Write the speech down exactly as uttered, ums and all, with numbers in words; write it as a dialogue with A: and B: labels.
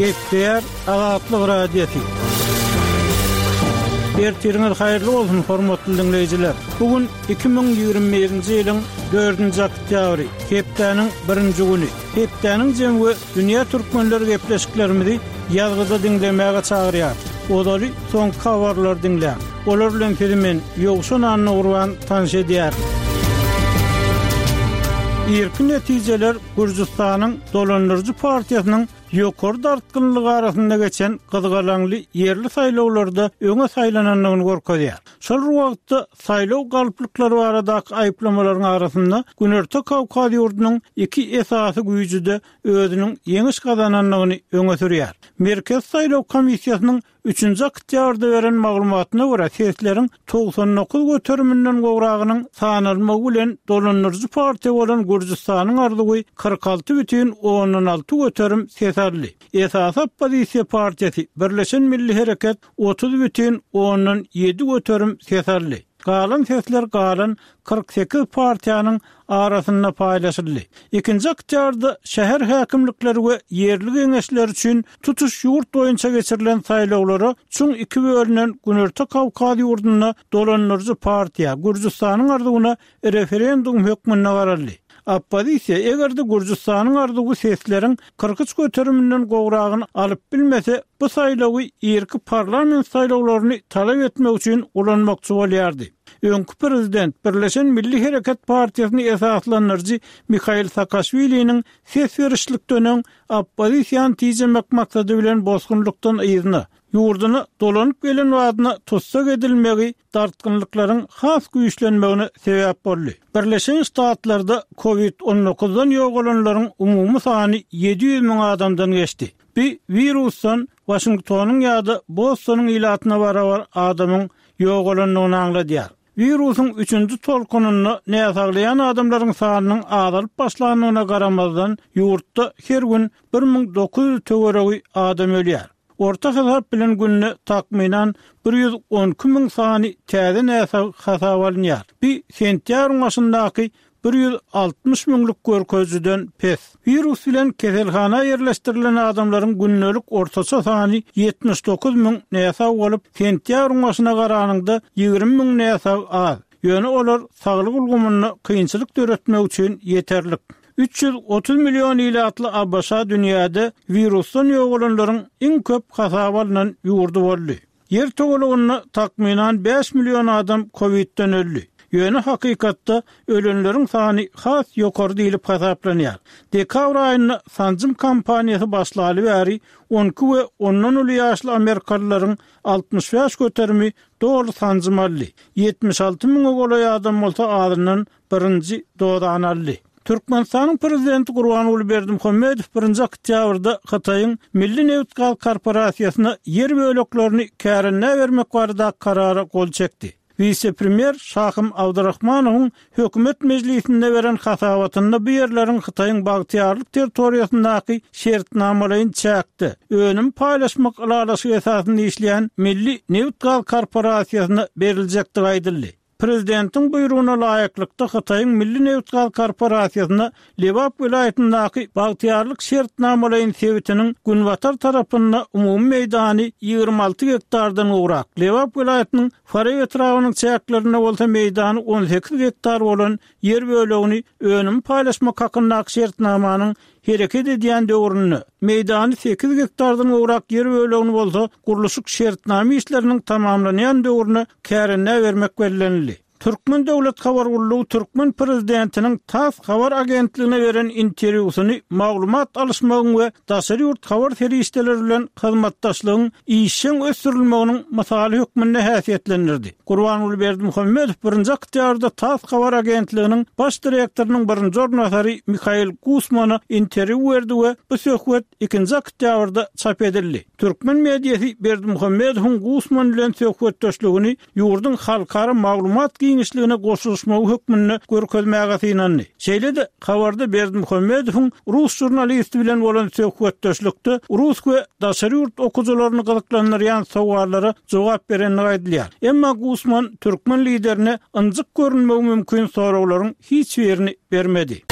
A: Gepleýär Azatlyk Radiosy. Ertiriňiz haýyrly bolsun, hormatly diňleýjiler. Bu gün iki müň ýigrimi birinji ýylyň dördünji oktýabry, hepdäniň birinji güni. Hepdäniň jemi we dünýä türkmenleri gepleşiklerimizi ýazgyda diňlemäge çagyrýar. Ozaly soňky habarlary diňläň. Olar bilen sizi men, Ýowşan Annagurban tanyş edýärin. Irki netijeler Gürjüstanyň dolandyryjy partiýasynyň ýokary dartgynlygy arasynda geçen gyzgalaňly ýerli saýlawlarda öňe saýlanandygyny görkezýär. Şol bir wagtda saýlaw galplyklary baradaky aýyplamalaryň arasynda Günorta Kawkaz ýurdunyň iki esasy güýji-de özüniň ýeňiş gazanandygyny öňe sürýär. Merkezi saýlaw komissiýasynyň üçünji oktýabrda beren maglumatyna görä, sesleriň togsan dokuz göteriminden gowragynyň sanalmagy bilen dolandyryjy partiýa bolan Gürjüstanyň arzuwy kyrk alty bütin ondan alty göterim ses aldy. Esasy oppozisiýa partiýasy Birleşen Milli Hereket otuz bütin ondan ýedi göterim ses aldy. Galan sesler galan kyrk sekiz partiýanyň arasynda paýlaşyldy. Ikinji oktýabrda şäher häkimlikleri we ýerli geňeşler üçin tutuş ýurt boýunça geçirilen saýlawlara çuň iki bölünen Günorta Kawkaz ýurdunda dolandyryjy partiýa Gürjüstanyň arzuwyna referendum hökmünde garaldy. Oppozisiýa eger-de Gürjüstanyň arzuwy sesleriň kyrk üç göteriminden gowragyny alyp bilmese, bu saýlawy irki parlament saýlawlaryny talap etmek üçin ulanmakçy bolýardy. Öňki prezident Birleşen Milli Hereket partiýasyny esaslandyryjy Mihail Saakaşwiliniň ses berişlikden öň oppozisiýany tijemek maksady bilen bosgunlykdan yzyna, ýurduna dolanyp gelen badyna tussag edilmegi dartgynlyklaryň has güýçlenmegine sebäp boldy. Birleşen Ştatlarda kovid on dokuzdan ýogalanlaryň umumy sany ýedi ýüz müň adamdan geçdi. Bu wirusdan Waşingtonyň ýa-da Bostonyň ilatyna barabar adamyň ýogalandygyny aňladýar. Wirusyň üçünji tolkunynda näsaglaýan adamlaryň sanynyň azalyp başlandygyna garamazdan, ýurtda her gün bir müň dokuz ýüz töweregi adam ölýär. Orta hasap bilen günde takmynan bir ýüz on iki müň sany täze näsag hasap alynýar. Bu sentýabryň başyndaky bir ýüz altmyş müňlük görkezijiden pes. Wirus bilen keselhana ýerleşdirilen adamlaryň gündelik ortaça sany ýetmiş dokuz müň näsag bolup, sentýabryň başyna garanyňda ýigrimi müň näsag az. Ýöne olar saglyk ulgamynda kynçylyk döretmek üçin ýeterlik. Üç ýüz otuz million ilatly A B Ş dünýäde wirusdan ýogalanlaryň iň köp hasaba alnan ýurdy boldy. Ýer togalygynda takmynan bäş million adam kovidden öldi. Ýöne hakykatda ölenleriň sany has ýokary diýlip hasaplanýar. Dekabr aýynda sanjym kampaniýasy başlaly bäri on iki we ondan uly ýaşly amerikalylaryň altmyş bäş göterimi doly sanjym aldy. Ýetmiş alty müňe golaý adam bolsa azyndan birinji dozany aldy. Türkmenistanyň prezidenti Gurbanguly Berdimuhamedow birinji oktýabrda Hytaýyň Milli nebit-gaz korporasiýasyna ýer böleklerini kärendä bermek baradaky karara gol çekdi. Wise-premýer Şahym Abdurrahmanowyň hökümet mejlisinde beren hasabatynda bu ýerleriň Hytaýyň bagtyýarlyk territoriýasyndaky şertnamalaýyn çäkde önüm paýlaşmak ylalaşygy esasynda işleýän Milli nebit-gaz korporasiýasyna beriljekdigi aýdyldy. Prezidentiň buýrugyna laýyklykda Hytaýyň Milli nebit-gaz korporasiýasyna Lebap welaýatyndaky bagtyýarlyk şertnamalaýyn sebitiniň günbatar tarapynda umumy meýdany ýigrimi alty gektardan gowrak, Lebap welaýatynyň Farap etrabynyň çäklerinde bolsa meýdany on sekiz gektar bolan ýer bölegini önüm paýlaşmak hakyndaky şertnamanyň hereket edýän döwründe meýdany sekiz gektardan gowrak ýer bölegini bolsa gurluşyk şertnama işleriniň tamamlanýan döwrüne kärendä bermek bellenildi. Türkmen Döwlet Habar Gullugy Türkmen Prezidentiniň TASS habar agentligine beren interwýusyny maglumat alyşmagyň we daşary ýurt habar serişdeleri bilen hyzmatdaşlygyň işjeň ösdürilmeginiň mysaly hökmünde häsiýetlendirdi. Gurbanguly Berdimuhamedow birinji oktýabrda TASS habar agentliginiň baş direktorynyň birinji orunbasary Mihail Gusmana interwýu berdi we bu söhbet ikinji oktýabrda çap edildi. Türkmen mediasy Berdimuhamedowyň Gusman bilen söhbetdeşligini ýurduň halkara maglumat giňişligine goşulyşmagy hökmünde görkezmäge synandy. Şeýle-de habarda Berdimuhamedowyň rus žurnalisti bilen bolan söhbetdeşlikde rus we daşary ýurt okujylaryny gyzyklandyrýan sowallara jogap berendigi aýdylýar. Emma Gusman türkmen liderine ynjyk görünmegi mümkin soraglaryň hiç birini bermedi.